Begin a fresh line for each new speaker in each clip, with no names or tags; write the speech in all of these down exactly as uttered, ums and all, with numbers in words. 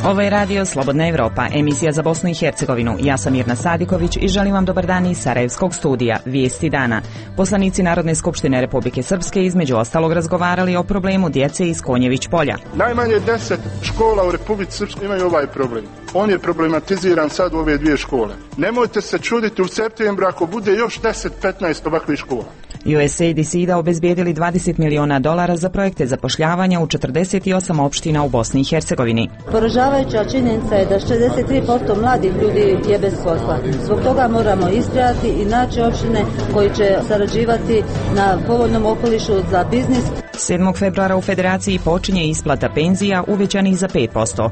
Ovo je radio Slobodna Evropa, emisija za Bosnu i Hercegovinu. Ja sam Mirna Sadiković i želim vam dobar dan iz Sarajevskog studija. Vijesti dana. Poslanici Narodne skupštine Republike Srpske između ostalog razgovarali o problemu djece iz Konjević polja.
Najmanje deset škola u Republici Srpskoj imaju ovaj problem. On je problematiziran sad u ove dvije škole. Nemojte se čuditi u septembru ako bude još deset petnaest ovakvih škola.
U S A I D S I D A obezbijedili dvadeset miliona dolara za projekte zapošljavanja u četrdeset osam opština u Bosni i Hercegovini.
Poražavajuća činjenica je da šezdeset tri posto mladih ljudi je bez posla. Zbog toga moramo istrajati i naći opštine koji će sarađivati na povoljnom okolišu za biznis.
sedmog februara u Federaciji počinje isplata penzija uvećanih za pet posto.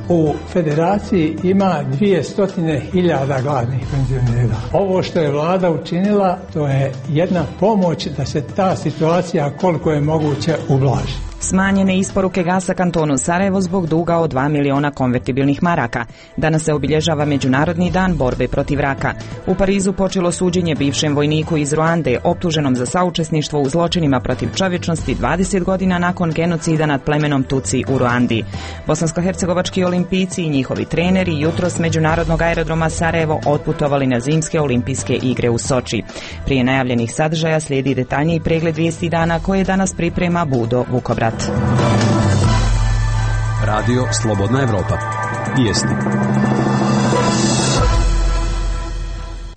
U Federaciji ima dvjesto hiljada gladnih penzionera. Ovo što je vlada učinila, to je jedna pomoć da se ta situacija koliko je moguće ublaži.
Smanjene isporuke gasa kantonu Sarajevo zbog duga od dva miliona konvertibilnih maraka. Danas se obilježava Međunarodni dan borbe protiv raka. U Parizu počelo suđenje bivšem vojniku iz Ruande, optuženom za saučesništvo u zločinima protiv čovječnosti dvadeset godina nakon genocida nad plemenom Tuci u Ruandi. Bosansko-hercegovački olimpijci i njihovi treneri jutros s Međunarodnog aerodroma Sarajevo otputovali na zimske olimpijske igre u Soči. Prije najavljenih sadržaja slijedi detaljniji pregled vijesti dana koje danas priprema Budo Vukobrad.
Radio Slobodna Evropa. Vijesti.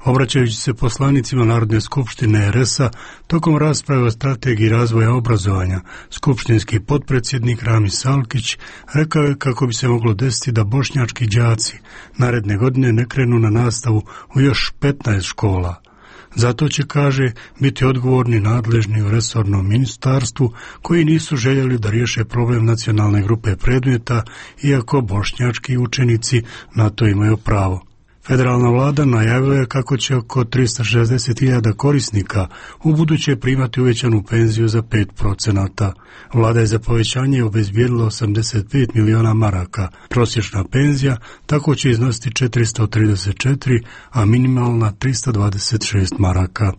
Obraćajući se poslanicima Narodne skupštine R S A tokom rasprave o strategiji razvoja obrazovanja, skupštinski potpredsjednik Ramis Salkić rekao je kako bi se moglo desiti da bošnjački đaci naredne godine ne krenu na nastavu u još petnaest škola. Zato će, kaže, biti odgovorni nadležni u resornom ministarstvu koji nisu željeli da riješe problem nacionalne grupe predmeta, iako bošnjački učenici na to imaju pravo. Federalna vlada najavila je kako će oko tristo šezdeset hiljada korisnika u buduće primati uvećanu penziju za pet procenata. Vlada je za povećanje obezbijedila osamdeset pet miliona maraka. Prosječna penzija tako će iznositi četiristo trideset četiri, a minimalna tristo dvadeset šest maraka.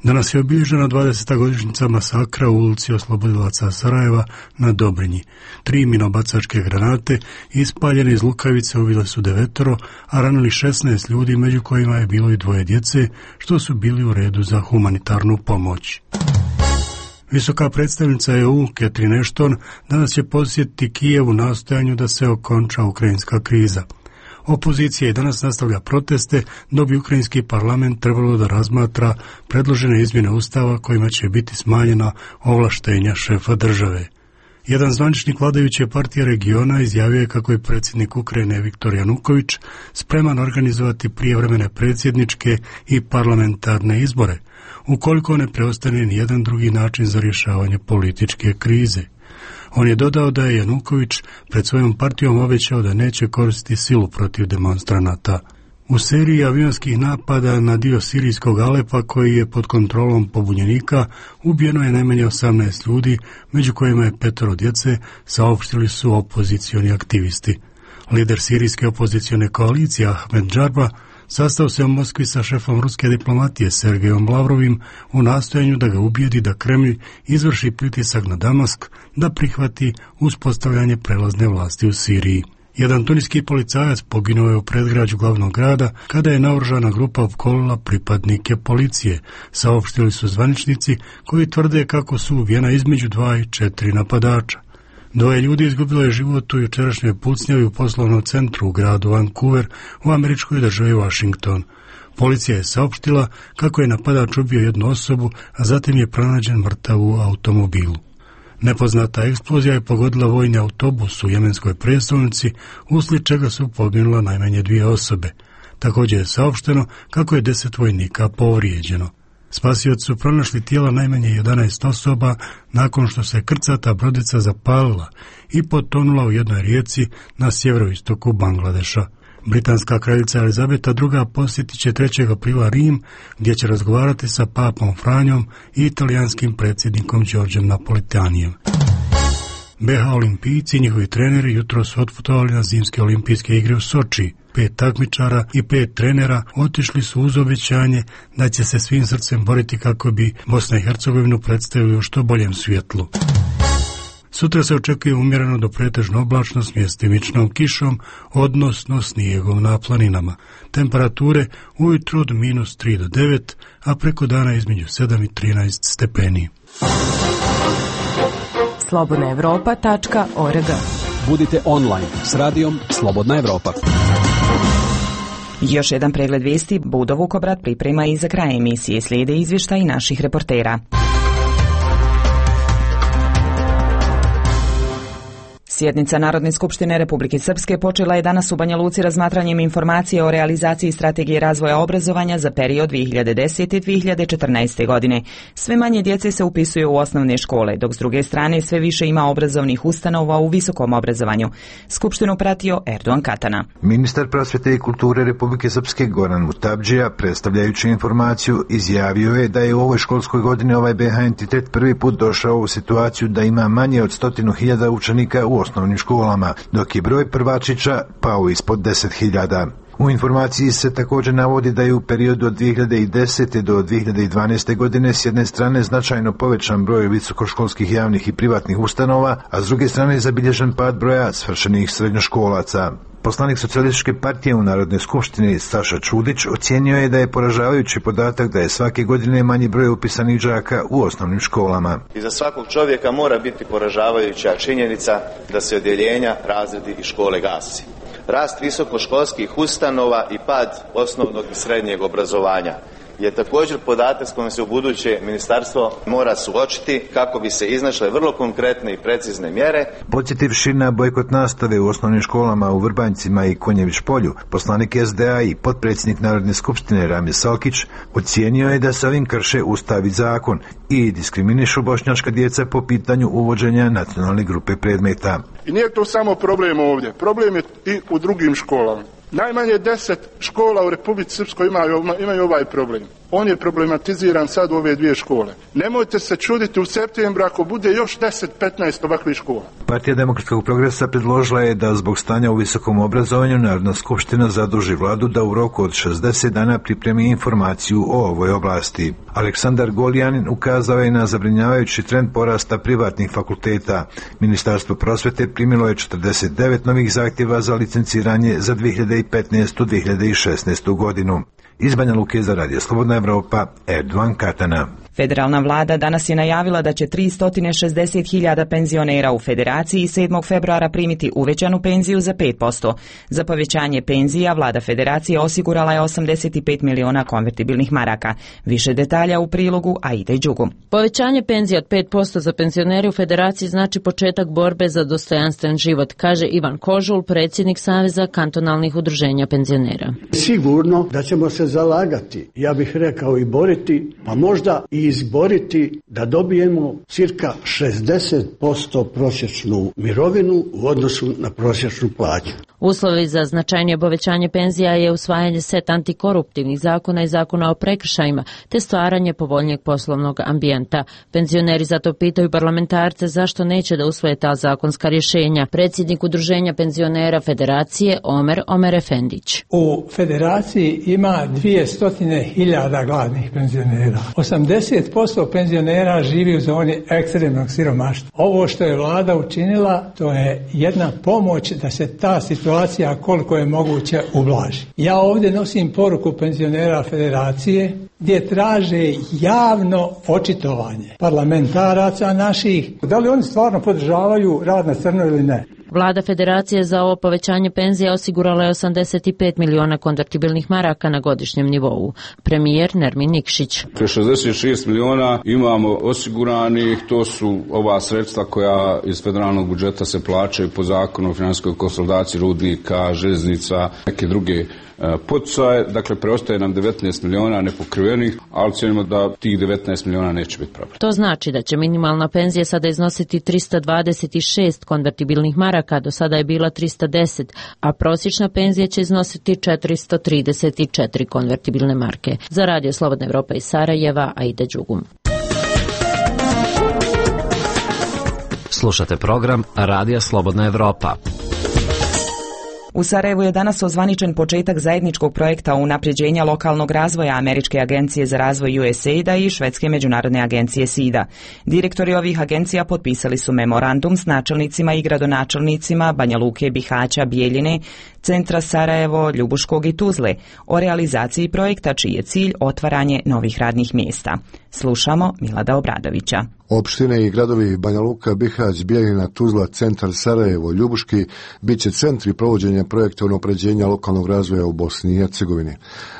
Danas je obilježena dvadeseta godišnjica masakra u ulici Oslobodilaca Sarajeva na Dobrinji. Tri minobacačke granate ispaljene iz lukavice ubile su devetoro, a ranili šesnaest ljudi, među kojima je bilo i dvoje djece, što su bili u redu za humanitarnu pomoć. Visoka predstavnica E U Catherine Ashton danas će posjetiti Kijev u nastojanju da se okonča ukrajinska kriza. Opozicija i danas nastavlja proteste, dok bi ukrajinski parlament trebalo da razmatra predložene izmjene ustava kojima će biti smanjena ovlaštenja šefa države. Jedan zvaničnik vladajuće partije regiona izjavio je kako je predsjednik Ukrajine Viktor Januković spreman organizovati prijevremene predsjedničke i parlamentarne izbore, ukoliko ne preostane ni jedan drugi način za rješavanje političke krize. On je dodao da je Januković pred svojom partijom obećao da neće koristiti silu protiv demonstranata. U seriji avionskih napada na dio sirijskog Alepa koji je pod kontrolom pobunjenika ubijeno je najmanje osamnaest ljudi, među kojima je petoro djece, saopštili su opozicioni aktivisti. Lider sirijske opozicione koalicije Ahmed Džarba sastao se u Moskvi sa šefom ruske diplomatije Sergejom Lavrovim u nastojanju da ga ubijedi da Kremlj izvrši pritisak na Damask da prihvati uspostavljanje prelazne vlasti u Siriji. Jedan tuniski policajac poginuo je u predgrađu glavnog grada kada je naoružana grupa opkolila pripadnike policije, saopštili su zvaničnici koji tvrde kako su ubijena između dva i četiri napadača. Dvoje ljudi izgubilo je život u jučerašnjoj pucnjavi u poslovnom centru u gradu Vancouver u američkoj državi Washington. Policija je saopštila kako je napadač ubio jednu osobu, a zatim je pronađen mrtav u automobilu. Nepoznata eksplozija je pogodila vojni autobus u jemenskoj prijestolnici, uslijed čega su poginula najmanje dvije osobe. Također je saopšteno kako je deset vojnika povrijeđeno. Spasioci su pronašli tijela najmanje jedanaest osoba nakon što se krcata brodica zapalila i potonula u jednoj rijeci na sjeveroistoku Bangladeša. Britanska kraljica Elizabeta druga posjetit će trećeg aprila Rim, gdje će razgovarati sa papom Franjom i italijanskim predsjednikom Đorđem Napolitanijem. B H olimpijci i njihovi treneri jutro su otputovali na zimske olimpijske igre u Soči. Pet takmičara i pet trenera otišli su uz obećanje da će se svim srcem boriti kako bi Bosna i Hercegovinu predstavili u što boljem svjetlu. Sutra se očekuje umjereno do pretežno oblačno s mjestimičnom kišom, odnosno snijegom na planinama. Temperature ujutro od minus tri do devet, a preko dana između sedam i trinaest stepeni.
slobodna evropa tačka org.
Budite online s radijom Slobodna Evropa.
Još jedan pregled vijesti Budo Vukobrat priprema i za kraj emisije. Slijede izvještaji naših reportera. Sjednica Narodne skupštine Republike Srpske počela je danas u Banja Luci razmatranjem informacije o realizaciji strategije razvoja obrazovanja za period dvije hiljade desete do dvije hiljade četrnaeste. godine. Sve manje djece se upisuje u osnovne škole, dok s druge strane sve više ima obrazovnih ustanova u visokom obrazovanju. Skupštinu pratio Erdogan Katana.
Ministar prosvjete i kulture Republike Srpske Goran Mutabdžija, predstavljajući informaciju, izjavio je da je u ovoj školskoj godini ovaj B H entitet prvi put došao u situaciju da ima manje od stotinu hiljada učenika u osnovnim školama, dok je broj prvačića pao ispod deset hiljada. U informaciji se također navodi da je u periodu od dvije hiljade desete do dvije hiljade dvanaeste. godine s jedne strane značajno povećan broj visokoškolskih javnih i privatnih ustanova, a s druge strane je zabilježen pad broja svršenih srednjoškolaca. Poslanik Socijalističke partije u Narodnoj skupštini Saša Čudić ocijenio je da je poražavajući podatak da je svake godine manji broj upisanih đaka u osnovnim školama.
I za svakog čovjeka mora biti poražavajuća činjenica da se odjeljenja, razredi i škole gasi. Rast visokoškolskih ustanova i pad osnovnog i srednjeg obrazovanja je također podatak s kojim se u buduće ministarstvo mora suočiti kako bi se iznašle vrlo konkretne i precizne mjere.
Podsjetivši na bojkot nastave u osnovnim školama u Vrbanjcima i Konjević polju, poslanik S D A i potpredsjednik Narodne skupštine Rami Salkić ocijenio je da se ovim krše Ustav i zakon i diskriminišu bošnjačka djeca po pitanju uvođenja nacionalne grupe predmeta.
I nije to samo problem ovdje, problem je i u drugim školama. Najmanje deset škola u Republici Srpskoj imaju, imaju ovaj problem. On je problematiziran sad u ove dvije škole. Nemojte se čuditi u septembru ako bude još deset do petnaest ovakvih škola.
Partija Demokratskog progresa predložila je da zbog stanja u visokom obrazovanju Narodna skupština zaduži vladu da u roku od šezdeset dana pripremi informaciju o ovoj oblasti. Aleksandar Goljanin ukazao je na zabrinjavajući trend porasta privatnih fakulteta. Ministarstvo prosvjete primilo je četrdeset devet novih zahtjeva za licenciranje za dvije hiljade petnaestu do dvije hiljade šesnaestu. godinu. Iz Banja Luke za Radio Slobodna Evropa, Erdogan Katana.
Federalna vlada danas je najavila da će tristo šezdeset hiljada penzionera u Federaciji sedmog februara primiti uvećanu penziju za pet posto. Za povećanje penzija vlada Federacije osigurala je osamdeset pet miliona konvertibilnih maraka. Više detalja u prilogu Aide Đugu.
Povećanje penzija od pet posto za penzionere u Federaciji znači početak borbe za dostojanstven život, kaže Ivan Kožul, predsjednik Saveza kantonalnih udruženja penzionera.
Sigurno da ćemo se zalagati, ja bih rekao i boriti, pa možda i izboriti da dobijemo cirka šezdeset posto prosječnu mirovinu u odnosu na prosječnu plaću.
Uslovi za značajnije povećanje penzija je usvajanje set antikoruptivnih zakona i zakona o prekršajima, te stvaranje povoljnijeg poslovnog ambijenta. Penzioneri zato pitaju parlamentarce zašto neće da usvoje ta zakonska rješenja. Predsjednik udruženja penzionera Federacije Omer Omer Efendić.
U Federaciji ima dvjesto hiljada gladnih penzionera. osamdeset posto penzionera živi u zoni ekstremnog siromaštva. Ovo što je vlada učinila, to je jedna pomoć da se ta situacija koliko je moguće ublaži. Ja ovdje nosim poruku penzionera Federacije gdje traže javno očitovanje parlamentaraca naših. Da li oni stvarno podržavaju rad na crno ili ne?
Vlada Federacije za ovo povećanje penzija osigurala je osamdeset pet miliona konvertibilnih maraka na godišnjem nivou. Premijer Nermin Nikšić.
šezdeset šest miliona imamo osiguranih, to su ova sredstva koja iz federalnog budžeta se plaćaju po zakonu o financijskoj konsolidaciji rudnika, željeznica, neke druge poticaje, dakle preostaje nam devetnaest miliona nepokrivenih, ali cijenimo da tih devetnaest miliona neće biti problem.
To znači da će minimalna penzija sada iznositi tristo dvadeset šest konvertibilnih maraka, do sada je bila tristo deset, a prosječna penzija će iznositi četiristo trideset četiri konvertibilne marke. Za Radio Slobodna Evropa iz Sarajeva, Aida Đugum.
Slušate program Radija Slobodna Evropa.
U Sarajevu je danas ozvaničen početak zajedničkog projekta unapređenja lokalnog razvoja Američke agencije za razvoj U S A I D a i Švedske međunarodne agencije S I D A. Direktori ovih agencija potpisali su memorandum s načelnicima i gradonačelnicima Banja Luke, Bihaća, Bijeljine, centra Sarajevo, Ljubuškog i Tuzle o realizaciji projekta čiji je cilj otvaranje novih radnih mjesta. Slušamo Milada Obradovića.
Opštine i gradovi Banja Luka, Bihać, Bijeljina, Tuzla, centar Sarajevo, Ljubuški bit će centri provođenja projekta unapređenja lokalnog razvoja u Bosni i Hercegovini.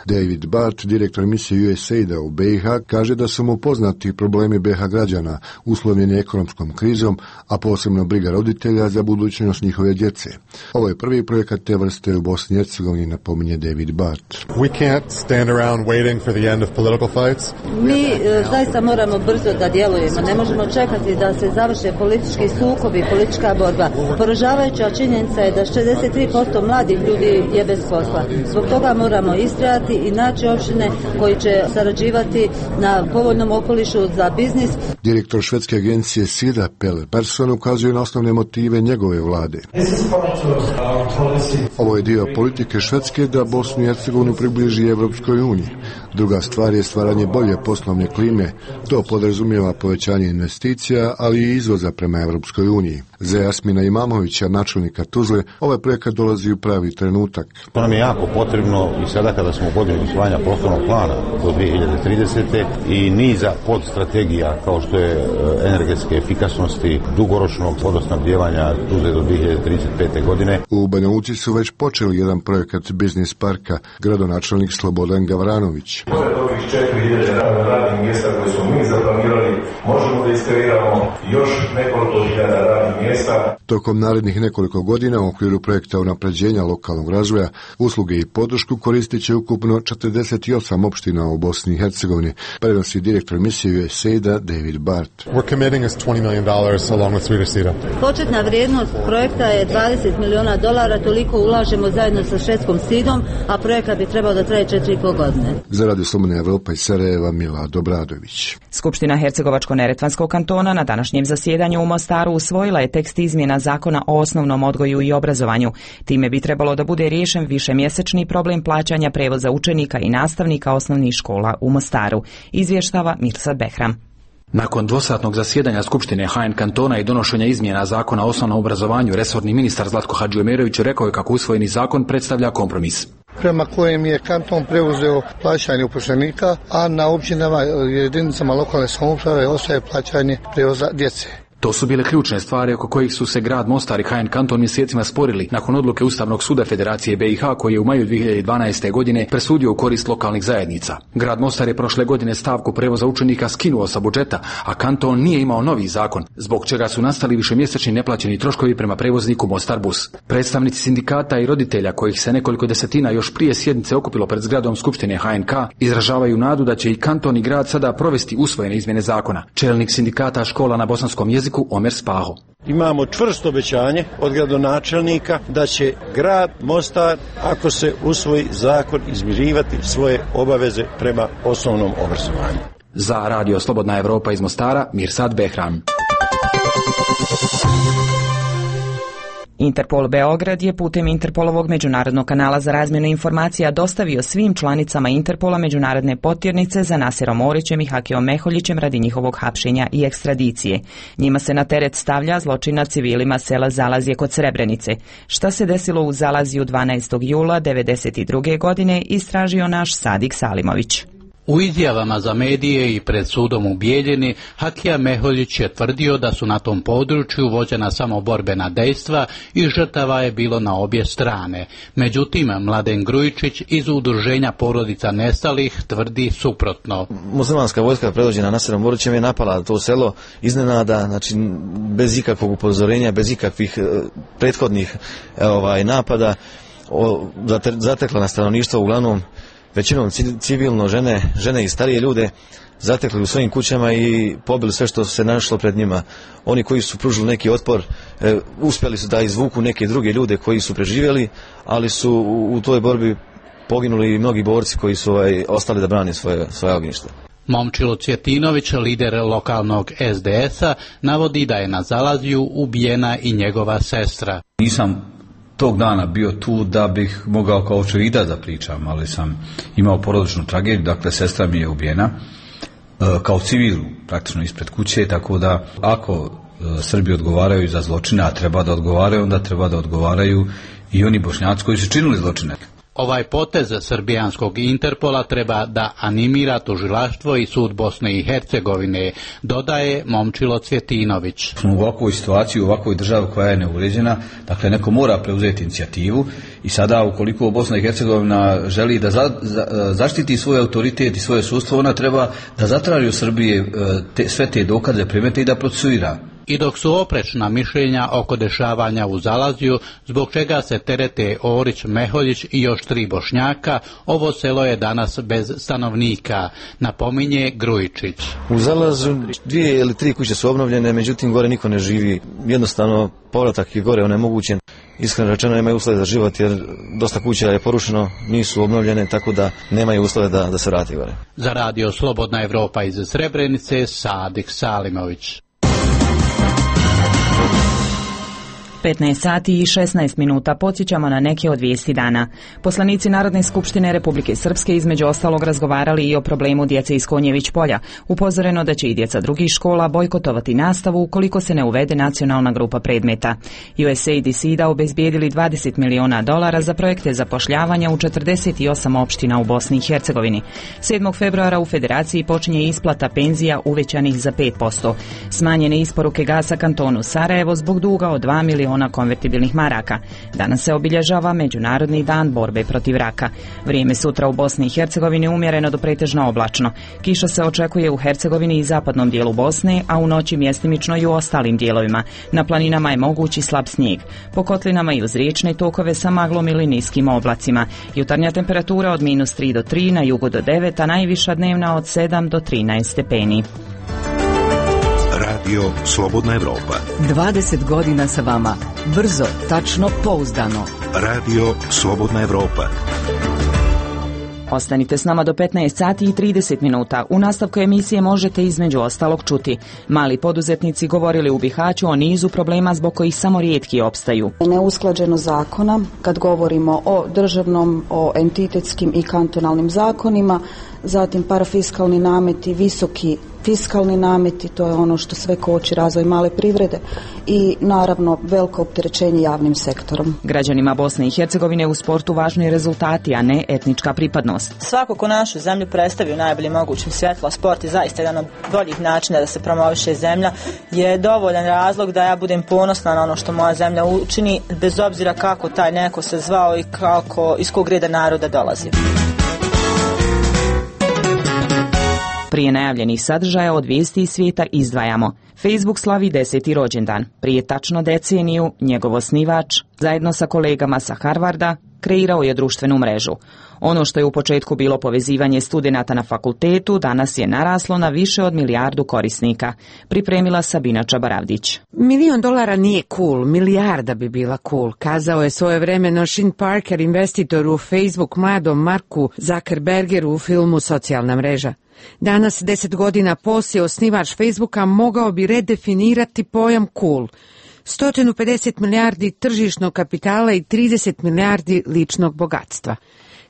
David Bart, direktor misije U S A I D a u B i H, kaže da su mu poznati problemi B i H građana uslovljeni ekonomskom krizom, a posebno briga roditelja za budućnost njihove djece. Ovo je prvi projekat te vrste u Bosni i Hercegovini, napominje David Bart.
We can't stand around waiting for the end of political fights.
Mi e, zaista moramo brzo da djelujemo. Ne možemo čekati da se završe politički sukobi, politička borba. Poražavajuća činjenica je da šezdeset tri posto mladih ljudi je bez posla. Zbog toga moramo istrajati i naći opštine koji će sarađivati na povoljnom okolišu za biznis.
Direktor švedske agencije S I D A Pelle Persson ukazuje na osnovne motive njegove vlade. Ovo je dio politike Švedske da Bosnu i Hercegovinu približi Evropskoj uniji. Druga stvar je stvaranje bolje poslovne klime. To podrazumijeva povećanje investicija, ali i izvoza prema Evropskoj uniji. Za Jasmina Imamovića, načelnika Tuzle, ovaj projekat dolazi u pravi trenutak.
To nam je jako potrebno i sada kada smo u godini usvajanja prostornog plana do dvije hiljade tridesete i niza podstrategija kao što je energetske efikasnosti, dugoročnog vodosnabdijevanja Tuzle do dvije hiljade trideset pete. godine.
U Banja Luci su već počeli jedan projekat biznis parka, gradonačelnik Slobodan Gavranović.
Pored ovih četiri hiljade radnih mjesta koje smo mi zaplanirali, možemo da iskreiramo još nekoliko hiljada radnih mjesta.
Tokom narednih nekoliko godina u okviru projekta unapređenja lokalnog razvoja, usluge i podršku koristit će ukupno četrdeset osam opština u Bosni i Hercegovini, prenosi direktor misije U S A I D a David Bart.
We're committing us twenty million dollars along with Swedish S I D A.
Početna vrijednost projekta je dvadeset miliona dolara, toliko ulažemo zajedno sa švedskom S I D om, a projekat bi trebao da traje četiri i pol godine.
Za Radio Slobodna Evropa iz Sarajeva, Milad Obradović.
Skupština Hercegovačko-neretvanskog kantona na današnjem zasjedanju u Mostaru usvojila je tekst izmjena zakona o osnovnom odgoju i obrazovanju. Time bi trebalo da bude riješen višemjesečni problem plaćanja prevoza učenika i nastavnika osnovnih škola u Mostaru, izvještava Mirsad Behram.
Nakon dvosatnog zasjedanja Skupštine H N kantona i donošenja izmjena zakona o osnovnom obrazovanju, resorni ministar Zlatko Hadžiomerović rekao je kako usvojeni zakon predstavlja kompromis,
prema kojem je kanton preuzeo plaćanje uposlenika, a na općinama i jedinicama lokalne samouprave ostaje plaćanje prevoza djece.
To su bile ključne stvari oko kojih su se grad Mostar i H N kanton mjesecima sporili nakon odluke Ustavnog suda Federacije B i H koji je u maju dvije hiljade dvanaeste. godine presudio u korist lokalnih zajednica. Grad Mostar je prošle godine stavku prevoza učenika skinuo sa budžeta, a kanton nije imao novi zakon, zbog čega su nastali višemjesečni neplaćeni troškovi prema prevozniku Mostar Bus. Predstavnici sindikata i roditelja, kojih se nekoliko desetina još prije sjednice okupilo pred zgradom Skupštine H N K, izražavaju nadu da će i kanton i grad sada provesti usvojene izmjene zakona. Čelnik sindikata škola na bosanskom jeziku Omer Spaho.
Imamo čvrsto obećanje od gradonačelnika da će grad Mostar, ako se usvoji zakon, izmirivati svoje obaveze prema osnovnom obrazovanju.
Za Radio Slobodna Evropa iz Mostara, Mirsad Behram.
Interpol Beograd je putem Interpolovog međunarodnog kanala za razmjenu informacija dostavio svim članicama Interpola međunarodne potjernice za Naserom Orićem i Hakijom Meholjićem radi njihovog hapšenja i ekstradicije. Njima se na teret stavlja zločin nad civilima sela Zalazje kod Srebrenice. Šta se desilo u Zalaziju dvanaestog jula devedeset druge. godine istražio naš Sadik Salimović.
U izjavama za medije i pred sudom u Bijeljini, Hakija Meholjić je tvrdio da su na tom području vođena samo borbena dejstva i žrtava je bilo na obje strane. Međutim, Mladen Grujičić iz udruženja porodica nestalih tvrdi suprotno.
Muslimanska vojska predvođena Naserom Orićem je napala to selo iznenada, znači bez ikakvog upozorenja, bez ikakvih prethodnih ovaj, napada, o, zatekla na stanovništvo uglavnom većinom civilno, žene, žene i starije ljude, zatekli u svojim kućama i pobili sve što se našlo pred njima. Oni koji su pružili neki otpor, e, uspjeli su da izvuku neke druge ljude koji su preživjeli, ali su u, u toj borbi poginuli i mnogi borci koji su ovaj, ostali da brane svoje, svoje ognjište.
Momčilo Cvjetinović, lider lokalnog S D S-a, navodi da je na Zalaziju ubijena i njegova sestra.
Nisam
tog dana bio tu da bih mogao kao očevidac da pričam, ali sam imao porodičnu tragediju, dakle sestra mi je ubijena kao civil praktično ispred kuće, tako da ako Srbi odgovaraju za zločine, a treba da odgovaraju, onda treba da odgovaraju i oni Bošnjaci koji su činili zločine.
Ovaj potez srbijanskog Interpola treba da animira tužilaštvo i sud Bosne i Hercegovine, dodaje Momčilo Cvjetinović.
U ovakvoj situaciji, u ovakvoj državi koja je neuređena, dakle neko mora preuzeti inicijativu i sada ukoliko Bosna i Hercegovina želi da za, za, zaštiti svoj autoritet i svoje sudstvo, ona treba da zatraži u Srbije te, sve te dokaze, primete i da procesuira.
I dok su oprečna mišljenja oko dešavanja u Zalazju, zbog čega se terete Orić, Meholjić i još tri Bošnjaka, ovo selo je danas bez stanovnika, napominje Grujičić.
U Zalazju dvije ili tri kuće su obnovljene, međutim gore niko ne živi. Jednostavno povratak je gore onemogućen. Iskreno rečeno nemaju uslove za život jer dosta kuća je porušeno, nisu obnovljene, tako da nemaju uslove da, da se vrati gore.
Za radio Slobodna Evropa iz Srebrenice, Sadik Salimović.
petnaest sati i šesnaest minuta podsjećamo na neke od vijesti dana. Poslanici Narodne skupštine Republike Srpske između ostalog razgovarali i o problemu djece iz Konjević polja. Upozoreno da će i djeca drugih škola bojkotovati nastavu ukoliko se ne uvede nacionalna grupa predmeta. U S A I D i S I D A obezbijedili dvadeset miliona dolara za projekte zapošljavanja u četrdeset osam opština u Bosni i Hercegovini. sedmog februara u Federaciji počinje isplata penzija uvećanih za pet posto. Smanjene isporuke gasa kantonu Sarajevo zbog duga od dva miliona konvertibilnih maraka. Danas se obilježava Međunarodni dan borbe protiv raka. Vrijeme sutra u Bosni i Hercegovini umjereno do pretežno oblačno. Kiša se očekuje u Hercegovini i zapadnom dijelu Bosne, a u noći mjestimično i u ostalim dijelovima. Na planinama je mogući slab snijeg. Po kotlinama i uz riječne tokove sa maglom ili niskim oblacima. Jutarnja temperatura od minus tri do tri, na jugu do devet, a najviša dnevna od sedam do trinaest stepeni.
Radio Slobodna Evropa.
dvadeset godina sa vama. Brzo, tačno, pouzdano.
Radio Slobodna Evropa.
Ostanite s nama do petnaest sati i trideset minuta. U nastavku emisije možete između ostalog čuti. Mali poduzetnici govorili u Bihaću o nizu problema zbog kojih samo rijetki opstaju.
Neusklađenost zakona, kad govorimo o državnom, o entitetskim i kantonalnim zakonima, zatim parafiskalni nameti, visoki fiskalni nameti, to je ono što sve koči razvoj male privrede i naravno veliko opterećenje javnim sektorom.
Građanima Bosne i Hercegovine u sportu važni rezultati, a ne etnička pripadnost.
Svako ko našu zemlju predstavi u najboljim mogućim svjetlo, sport je zaista jedan od boljih načina da se promoviše zemlja, je dovoljan razlog da ja budem ponosna na ono što moja zemlja učini, bez obzira kako taj neko se zvao i kako, iz kog reda naroda dolazi.
Prije najavljenih sadržaja od vijesti iz svijeta izdvajamo. Facebook slavi deseti rođendan. Prije tačno deceniju njegov osnivač, zajedno sa kolegama sa Harvarda, kreirao je društvenu mrežu. Ono što je u početku bilo povezivanje studenata na fakultetu, danas je naraslo na više od milijardu korisnika. Pripremila Sabina Čabaravdić.
Milion dolara nije cool, milijarda bi bila cool, kazao je svojevremeno Sean Parker, investitor u Facebook, mladom Marku Zuckerbergeru u filmu Socijalna mreža. Danas, deset godina poslije, osnivač Facebooka mogao bi redefinirati pojam cool. sto pedeset milijardi tržišnog kapitala i trideset milijardi ličnog bogatstva.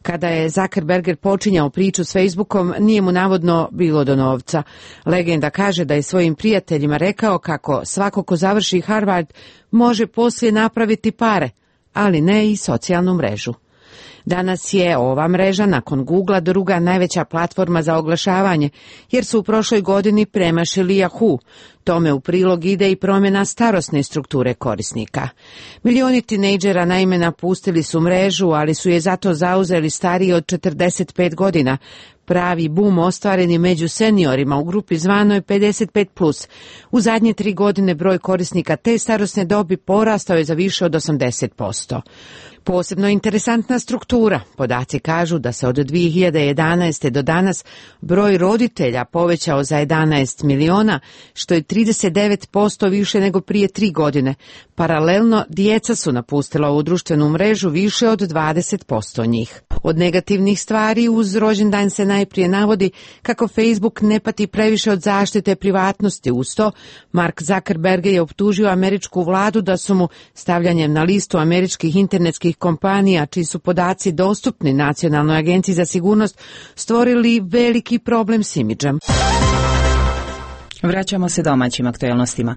Kada je Zuckerberger počinjao priču s Facebookom, nije mu navodno bilo do novca. Legenda kaže da je svojim prijateljima rekao kako svako ko završi Harvard može poslije napraviti pare, ali ne i socijalnu mrežu. Danas je ova mreža nakon Googlea druga najveća platforma za oglašavanje, jer su u prošloj godini premašili Yahoo. Tome u prilog ide i promjena starosne strukture korisnika. Milioni tinejdžera naime napustili su mrežu, ali su je zato zauzeli stariji od četrdeset pet godina. Pravi bum ostvaren je među seniorima u grupi zvanoj pedeset pet plus. U zadnje tri godine broj korisnika te starosne dobi porastao je za više od osamdeset posto. Posebno interesantna struktura. Podaci kažu da se od dvije hiljade jedanaeste. do danas broj roditelja povećao za jedanaest miliona, što je trideset devet posto više nego prije tri godine. Paralelno, djeca su napustila u društvenu mrežu više od dvadeset posto njih. Od negativnih stvari uz rođendan se najprije navodi kako Facebook ne pati previše od zaštite privatnosti. Uz to, Mark Zuckerberg je optužio američku vladu da su mu stavljanjem na listu američkih internetskih kompanija, čiji su podaci dostupni Nacionalnoj agenciji za sigurnost, stvorili veliki problem s imidžem.
Vraćamo se domaćim aktualnostima.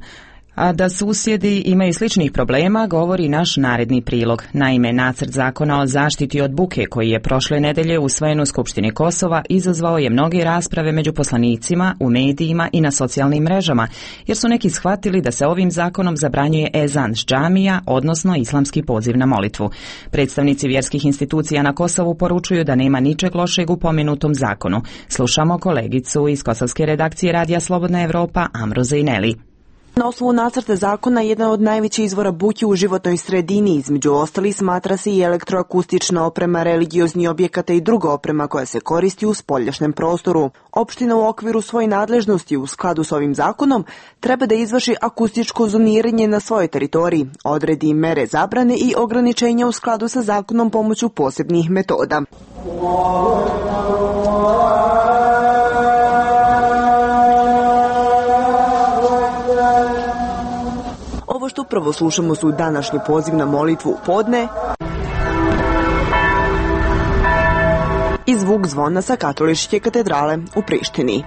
A da susjedi imaju sličnih problema govori naš naredni prilog. Naime, nacrt zakona o zaštiti od buke koji je prošle nedelje usvojen u Skupštini Kosova izazvao je mnoge rasprave među poslanicima, u medijima i na socijalnim mrežama, jer su neki shvatili da se ovim zakonom zabranjuje ezan s džamija, odnosno islamski poziv na molitvu. Predstavnici vjerskih institucija na Kosovu poručuju da nema ničeg lošeg u pomenutom zakonu. Slušamo kolegicu iz kosovske redakcije Radija Slobodna Evropa, Amru Zejneli.
Na osnovu nacrta zakona jedan od najvećih izvora buke u životnoj sredini, između ostalih smatra se i elektroakustična oprema, religiozni objekata i druga oprema koja se koristi u spoljašnjem prostoru. Opština u okviru svoje nadležnosti u skladu s ovim zakonom treba da izvrši akustičko zoniranje na svojoj teritoriji, odredi mere zabrane i ograničenja u skladu sa zakonom pomoću posebnih metoda. Ovo što upravo slušamo su današnji poziv na molitvu u podne i zvuk zvona sa katoličke katedrale u Prištini.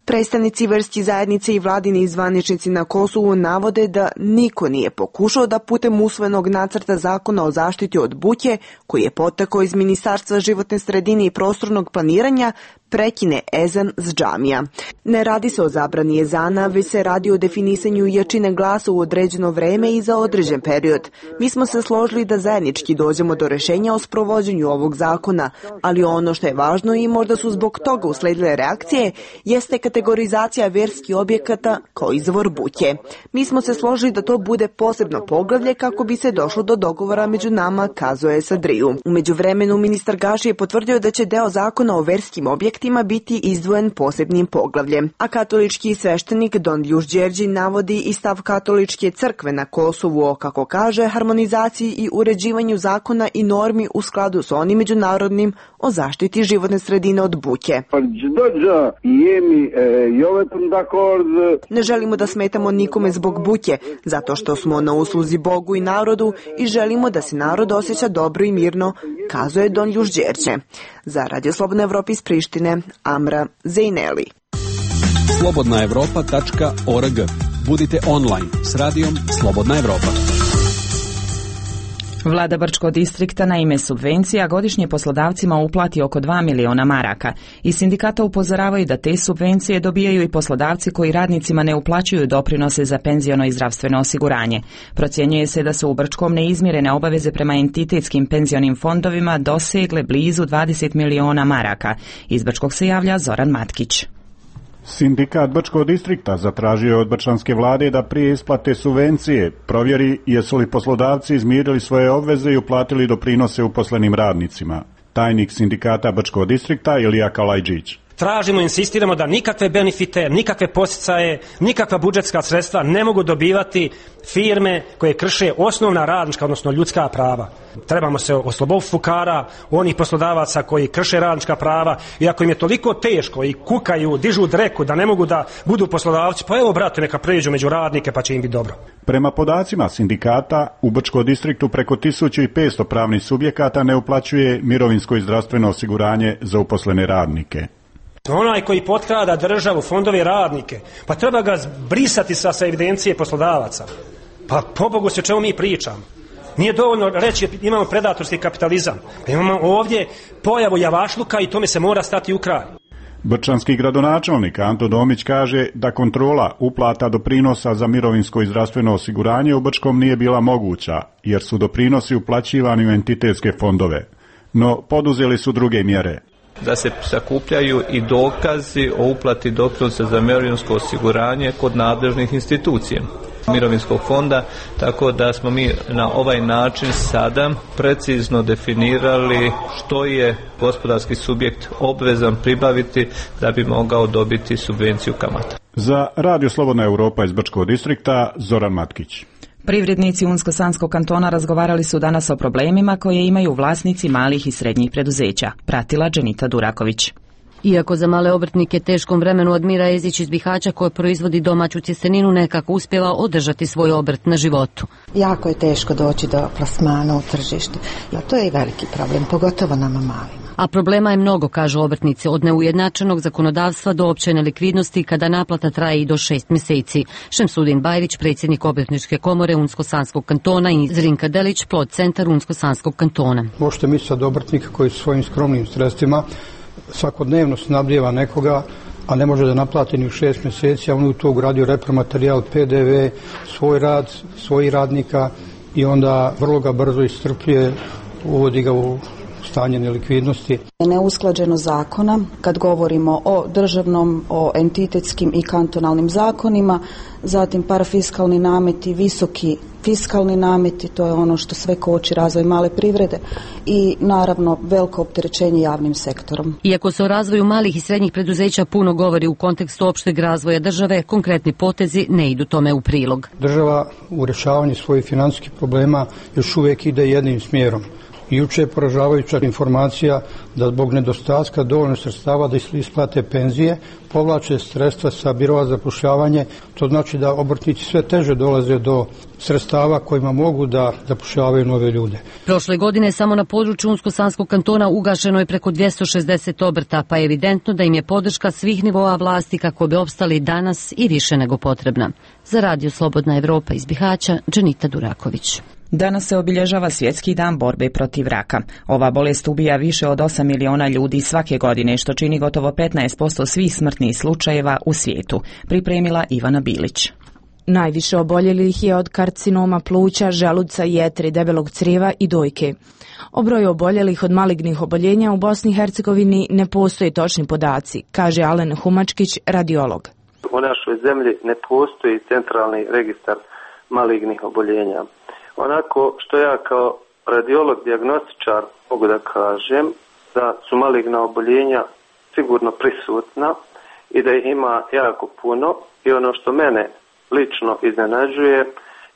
Predstavnici verskih zajednice i vladini zvaničnici na Kosovu navode da niko nije pokušao da putem usvojenog nacrta zakona o zaštiti od buke, koji je potekao iz Ministarstva životne sredine i prostornog planiranja, prekine ezan s džamija. Ne radi se o zabrani ezana, već se radi o definisanju jačine glasa u određeno vreme i za određen period. Mi smo se složili da zajednički dođemo do rešenja o sprovođenju ovog zakona, ali ono što je važno i možda su zbog toga usledile reakcije, jeste kategorizacija verskih objekata kao izvor buke. Mi smo se složili da to bude posebno poglavlje kako bi se došlo do dogovora među nama, kazuje Sadriju. U međuvremenu ministar Gaši je potvrdio da će deo zakona o verskim objektima biti izdvojen posebnim poglavljem. A katolički sveštenik Don Ljuš Đerđi navodi i stav katoličke crkve na Kosovu o, kako kaže, harmonizaciji i uređivanju zakona i normi u skladu s onim međunarodnim o zaštiti životne sredine od buke. Ne želimo da smetamo nikome zbog buke, zato što smo na usluzi Bogu i narodu i želimo da se narod osjeća dobro i mirno, kazuje Don Ljuš Đerđe. Za Radio Slobodna Evropa iz Prištine, Amra Zejneli.
slobodna evropa tačka org. Budite online s radijom Slobodna Evropa.
Vlada Brčkog distrikta na ime subvencija godišnje poslodavcima uplati oko dva miliona maraka. Iz sindikata upozoravaju da te subvencije dobijaju i poslodavci koji radnicima ne uplaćuju doprinose za penziono i zdravstveno osiguranje. Procjenjuje se da su u Brčkom neizmirene obaveze prema entitetskim penzionim fondovima dosegle blizu dvadeset miliona maraka. Iz Brčkog se javlja Zoran Matkić.
Sindikat Brčkog distrikta zatražio je od brčanske vlade da prije isplate subvencije provjeri jesu li poslodavci izmirili svoje obveze i uplatili doprinose uposlenim radnicima. Tajnik sindikata Brčkog distrikta Ilija Kalajđić.
Tražimo, insistiramo da nikakve benefite, nikakve posticaje, nikakva budžetska sredstva ne mogu dobivati firme koje krše osnovna radnička, odnosno ljudska prava. Trebamo se osloboditi fukara, onih poslodavaca koji krše radnička prava, i ako im je toliko teško i kukaju, dižu dreku da ne mogu da budu poslodavci, pa evo brate, neka pređu među radnike pa će im biti dobro.
Prema podacima sindikata, u Brčkom distriktu preko tisuću petsto pravnih subjekata ne uplaćuje mirovinsko i zdravstveno osiguranje za uposlene radnike.
Onaj koji potkrada državu, fondove i radnike, pa treba ga brisati sa, sa evidencije poslodavaca. Pa pobogu se o čemu mi pričamo. Nije dovoljno reći imamo predatorski kapitalizam. Pa imamo ovdje pojavu javašluka i tome se mora stati u kraj.
Brčanski gradonačelnik Anto Domić kaže da kontrola uplata doprinosa za mirovinsko i zdravstveno osiguranje u Brčkom nije bila moguća, jer su doprinosi uplaćivani u entitetske fondove. No poduzeli su druge mjere.
Da se sakupljaju i dokazi o uplati doprinosa za mirovinsko osiguranje kod nadležnih institucija. mirovinskog fonda, tako da smo mi na ovaj način sada precizno definirali što je gospodarski subjekt obvezan pribaviti da bi mogao dobiti subvenciju kamata.
Za Radio Slobodna Europa iz Brčkog distrikta, Zoran Matkić.
Privrednici Unsko-Sanskog kantona razgovarali su danas o problemima koje imaju vlasnici malih i srednjih preduzeća. Pratila Dženita Duraković.
Iako za male obrtnike teškom vremenu Admira Jezić iz Bihaća koja proizvodi domaću cjesteninu nekako uspjeva održati svoj obrt na životu.
Jako je teško doći do plasmana u tržištu. Ja, to je i veliki problem, pogotovo nama malima.
A problema je mnogo, kažu obrtnici, od neujednačenog zakonodavstva do opće nelikvidnosti kada naplata traje i do šest mjeseci. Šemsudin Bajrić, predsjednik Obrtničke komore Unsko-Sanskog kantona i Zrinka Delić, plod centar Unsko-Sanskog kantona.
Možete misliti od obrtnika koji svojim skromnim sredstvima svakodnevno snabdijeva nekoga, a ne može da naplati ni u šest mjeseci, a on u to ugradio repromaterijal, P D V, svoj rad, svojih radnika i onda vrlo ga brzo iscrpljuje, uvodi ga u stanje nelikvidnosti.
Neusklađenost zakona, kad govorimo o državnom, o entitetskim i kantonalnim zakonima, zatim parafiskalni nameti, visoki fiskalni nameti, to je ono što sve koči razvoj male privrede i naravno veliko opterećenje javnim sektorom.
Iako se o razvoju malih i srednjih preduzeća puno govori u kontekstu opšteg razvoja države, konkretni potezi ne idu tome u prilog.
Država u rješavanju svojih financijskih problema još uvijek ide jednim smjerom. Juče je poražavajuća informacija da zbog nedostatka dovoljno sredstava da isplate penzije, povlače sredstva sa birova za zapošljavanje, to znači da obrtnici sve teže dolaze do sredstava kojima mogu da zapošljavaju nove ljude.
Prošle godine samo na području Unsko-Sanskog kantona ugašeno je preko dvjesto šezdeset obrta, pa je evidentno da im je podrška svih nivoa vlasti kako bi opstali danas i više nego potrebna. Za Radio Slobodna Europa iz Bihaća, Dženita Duraković.
Danas se obilježava Svjetski dan borbe protiv raka. Ova bolest ubija više od osam miliona ljudi svake godine, što čini gotovo petnaest posto svih smrtnih slučajeva u svijetu. Pripremila Ivana Bilić.
Najviše oboljelih je od karcinoma pluća, želuca, jetre, debelog crijeva i dojke. O broju oboljelih od malignih oboljenja u Bosni i Hercegovini ne postoje točni podaci, kaže Alen Humačkić, radiolog.
U našoj zemlji ne postoji centralni registar malignih oboljenja. Onako što ja kao radiolog, dijagnostičar mogu da kažem da su maligna oboljenja sigurno prisutna i da ih ima jako puno i ono što mene lično iznenađuje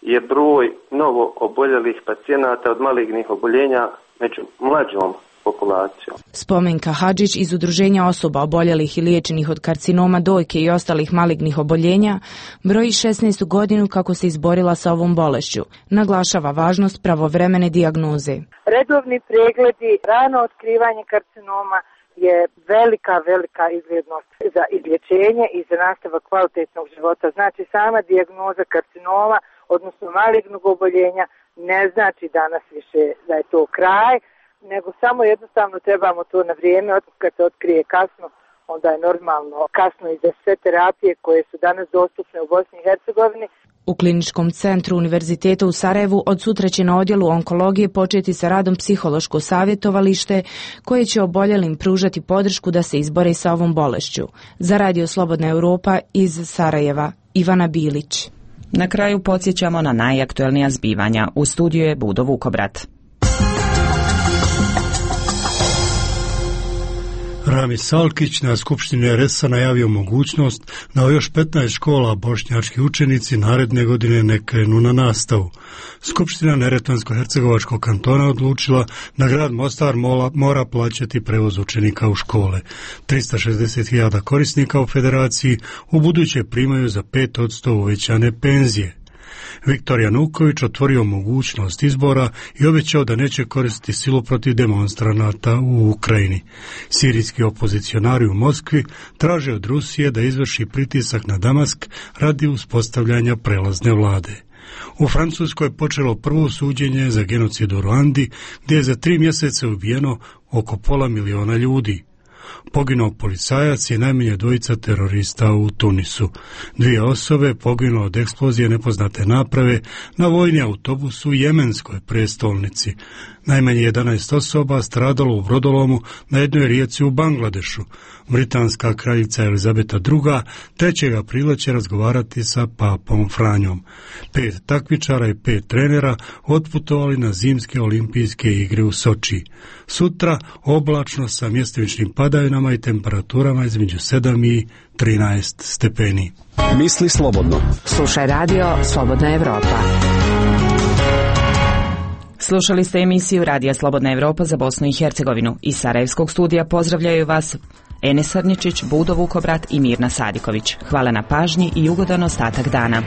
je broj novo oboljelih pacijenata od malignih oboljenja među mlađom populacijom.
Spomenka Hadžić iz Udruženja osoba oboljelih i liječenih od karcinoma dojke i ostalih malignih oboljenja broji šesnaestu godinu kako se izborila sa ovom bolešću. Naglašava važnost pravovremene dijagnoze.
Redovni pregledi, rano otkrivanje karcinoma je velika, velika izglednost za izlječenje i za nastavak kvalitetnog života. Znači sama dijagnoza karcinoma, odnosno malignog oboljenja, ne znači danas više da je to kraj, nego samo jednostavno trebamo to na vrijeme, kad se otkrije kasno, onda je normalno kasno i za sve terapije koje su danas dostupne u Bosni i Hercegovini.
U Kliničkom centru Univerziteta u Sarajevu od sutra će na odjelu onkologije početi sa radom psihološko savjetovalište koje će oboljelim pružati podršku da se izbore sa ovom bolešću. Za Radio Slobodna Europa iz Sarajeva, Ivana Bilić.
Na kraju podsjećamo na najaktuelnija zbivanja. U studiju je Budo Vukobrat.
Rami Salkić na Skupštini er es a najavio mogućnost da u još petnaest škola bošnjački učenici naredne godine ne krenu na nastavu. Skupština Neretvansko-hercegovačkog kantona odlučila da grad Mostar mora plaćati prevoz učenika u škole. trista šezdeset hiljada korisnika u federaciji u buduće primaju za pet posto uvećane penzije. Viktor Januković otvorio mogućnost izbora i obećao da neće koristiti silu protiv demonstranata u Ukrajini. Sirijski opozicionari u Moskvi traže od Rusije da izvrši pritisak na Damask radi uspostavljanja prelazne vlade. U Francuskoj je počelo prvo suđenje za genocid u Ruandi, gdje je za tri mjeseca ubijeno oko pola miliona ljudi. Poginuo policajac i najmanje dvojica terorista u Tunisu. Dvije osobe poginulo od eksplozije nepoznate naprave na vojni autobus u jemenskoj prestolnici. Najmanje jedanaest osoba stradalo u brodolomu na jednoj rijeci u Bangladešu. Britanska kraljica Elizabeta druga. trećeg aprila će razgovarati sa papom Franjom. Pet takmičara i pet trenera otputovali na zimske olimpijske igre u Soči. Sutra oblačno sa mjestimičnim padavinama i temperaturama između sedam i trinaest stepeni.
Misli slobodno.
Slušaj radio Slobodna Evropa. Slušali ste emisiju Radija Slobodna Evropa za Bosnu i Hercegovinu. Iz Sarajevskog studija pozdravljaju vas Enes Arničić, Budo Vukobrat i Mirna Sadiković. Hvala na pažnji i ugodan ostatak dana.